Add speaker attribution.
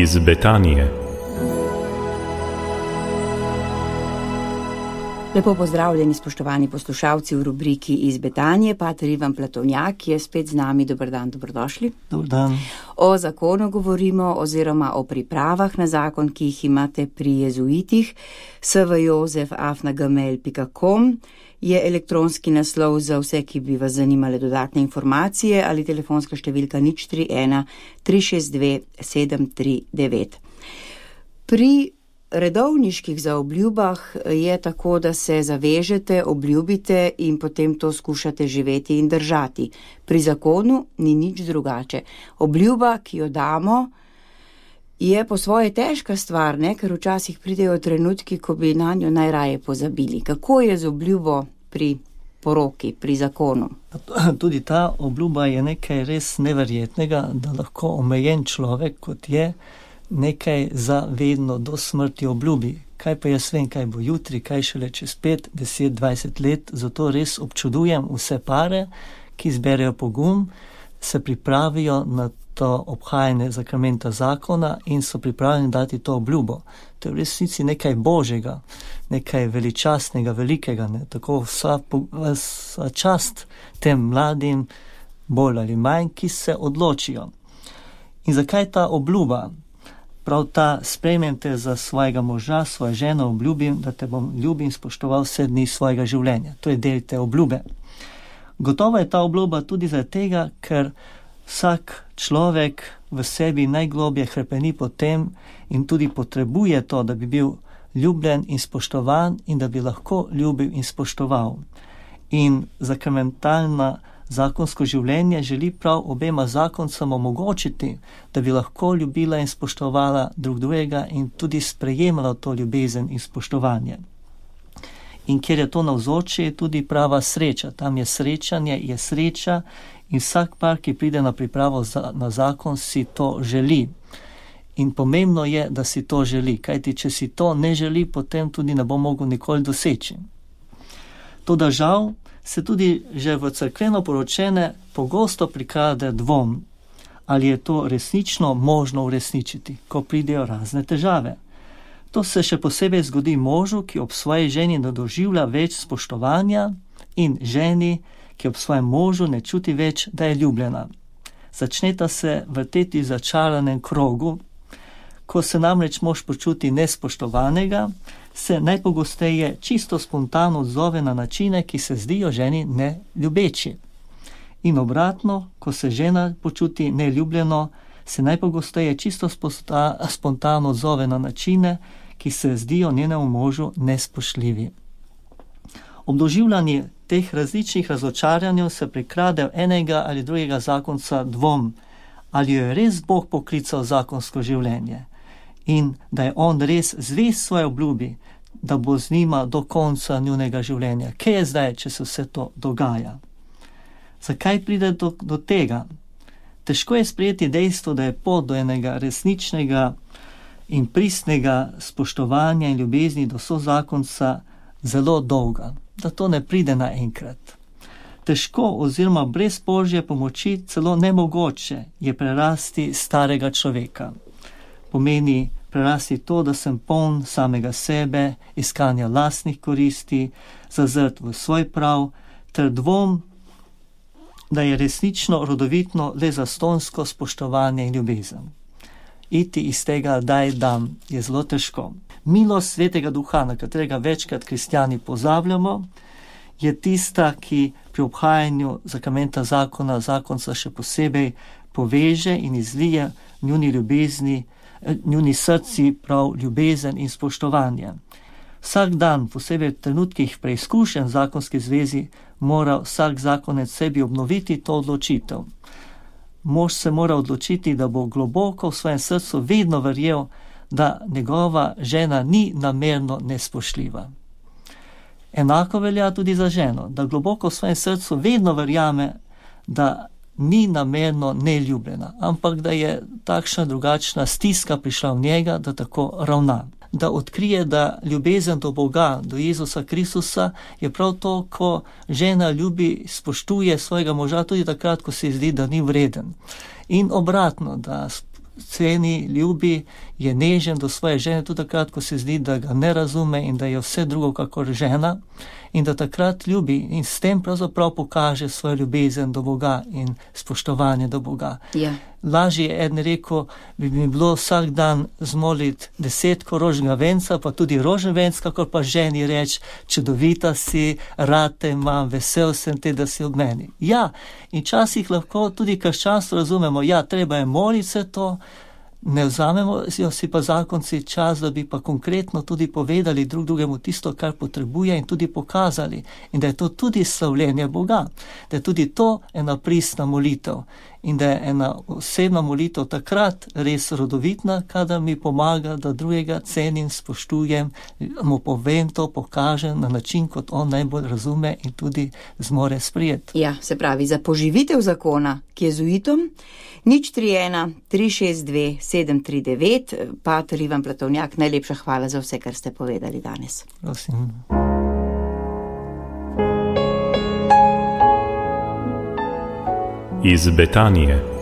Speaker 1: iz Betanije.
Speaker 2: Lepo pozdravljeni, spoštovani poslušalci v rubriki iz Betanije. Pater Ivan Platovnjak je spet z nami. Dober dan, dobrodošli.
Speaker 3: Dober dan.
Speaker 2: O zakonu govorimo oziroma o pripravah na zakon, ki jih imate pri jezuitih. svjozef@gmail.com je elektronski naslov za vse, ki bi vas zanimale dodatne informacije, ali telefonska številka 031 362 739. Pri redovniških zaobljubah je tako, da se zavežete, obljubite in potem to skušate živeti in držati. Pri zakonu ni nič drugače. Obljuba, ki jo damo, je po svoje težka stvar, ne? Ker včasih pridejo trenutki, ko bi na njo najraje pozabili. Kako je z obljubo pri poroki, pri zakonu?
Speaker 3: Tudi ta obljuba je nekaj res neverjetnega, da lahko omejen človek, kot je, nekaj za vedno do smrti obljubi. Kaj pa jaz vem, kaj bo jutri, kaj šele čez 5, 10, 20 let, zato res občudujem vse pare, ki zberejo pogum, se pripravijo na to obhajanje zakramenta zakona in so pripravljeni dati to obljubo. To je v resnici nekaj božjega, nekaj veličastnega, velikega, ne? Tako vsa čast tem mladim, bolj ali manj, ki se odločijo. In zakaj ta obljuba? Prav ta, sprejmem te za svojega moža, svojo ženo, obljubim, da te bom ljubil in spoštoval vse dni svojega življenja. To je del te obljube. Gotovo je ta obljuba tudi zaradi tega, ker vsak človek v sebi najglobje hrepeni po tem in tudi potrebuje to, da bi bil ljubljen in spoštovan in da bi lahko ljubil in spoštoval. In sakramentalna zakonsko življenje želi prav obema zakoncem omogočiti, da bi lahko ljubila in spoštovala drug drugega in tudi sprejemala to ljubezen in spoštovanje. In kjer je to navzoče, je tudi prava sreča. Tam je srečanje, je sreča in vsak par, ki pride na pripravo na zakon, si to želi. In pomembno je, da si to želi, kajti če si to ne želi, potem tudi ne bo mogel nikoli doseči. Toda žal se tudi že v cerkveno poročene pogosto prikrade dvom, ali je to resnično možno uresničiti, ko pridejo razne težave. To se še posebej zgodi možu, ki ob svoji ženi ne doživlja več spoštovanja, in ženi, ki ob svojem možu ne čuti več, da je ljubljena. Začneta se vrteti v začaranem krogu. Ko se namreč mož počuti nespoštovanega, se najpogosteje čisto spontano odzove na načine, ki se zdijo ženi neljubeči. In obratno, ko se žena počuti neljubljeno, se najpogosteje čisto spontano odzove na načine, ki se zdijo njenemu možu nespoštljivi. Ob doživljanju teh različnih razočaranj se prikrade v enega ali drugega zakonca dvom, ali jo je res Bog poklical zakonsko življenje in da je on res zvest svoje obljubi, da bo z njima do konca njunega življenja. Kje je zdaj, če se vse to dogaja? Zakaj pride do tega? Težko je sprejeti dejstvo, da je pot do enega resničnega in pristnega spoštovanja in ljubezni do sozakonca zelo dolga, da to ne pride naenkrat. Težko oziroma brez Božje pomoči celo nemogoče je prerasti starega človeka. Pomeni prerasti to, da sem poln samega sebe, iskanja lastnih koristi, zazrt v svoj prav, ter dvom, da je resnično rodovitno le zastonsko spoštovanje in ljubezen. Iti iz tega daj dam je zelo težko. Milost Svetega Duha, na katerega večkrat kristjani pozabljamo, je tista, ki pri obhajanju zakramenta zakona zakonca še posebej poveže in izlije njuni srci prav ljubezen in spoštovanje. Vsak dan, posebej v trenutkih preizkušenj v zakonski zvezi, mora vsak zakonec sebi obnoviti to odločitev. Mož se mora odločiti, da bo globoko v svojem srcu vedno verjel, da njegova žena ni namerno nespoštljiva. Enako velja tudi za ženo, da globoko v svojem srcu vedno verjame, da ni namerno neljubljena, ampak da je takšna drugačna stiska prišla v njega, da tako ravna. Da odkrije, da ljubezen do Boga, do Jezusa Kristusa je prav to, ko žena ljubi, spoštuje svojega moža tudi takrat, ko se zdi, da ni vreden. In obratno, da ceni, ljubi, je nežen do svoje žene, tudi takrat, ko se zdi, da ga ne razume in da je vse drugo kakor žena, in da takrat ljubi in s tem pravzaprav pokaže svojo ljubezen do Boga in spoštovanje do Boga.
Speaker 2: Ja.
Speaker 3: Lažje je eden rekel, bi mi bilo vsak dan zmoliti 10 rožnega venca, pa tudi rožen venc, kakor pa ženi reči, čudovita si, rad te imam, vesel sem te, da si ob meni. Ja, in časih lahko tudi krščanstvo razumemo, ja, treba je moliti vse to, ne vzamemo si pa zakonci čas, da bi pa konkretno tudi povedali drug drugemu tisto, kar potrebuje in tudi pokazali. In da je to tudi slavljenje Boga, da je tudi to ena pristna molitev in da je ena osebna molitev takrat res rodovitna, kadar mi pomaga, da drugega cenim, spoštujem, mu povem to, pokažem na način, kot on najbolj razume in tudi zmore sprijeti.
Speaker 2: Ja, se pravi, za poživitev zakona, ki je z ujitom, 031 362 739, pater Ivan Platovnjak, najlepša hvala za vse, kar ste povedali danes.
Speaker 3: Prosim.
Speaker 1: Iz Betanije.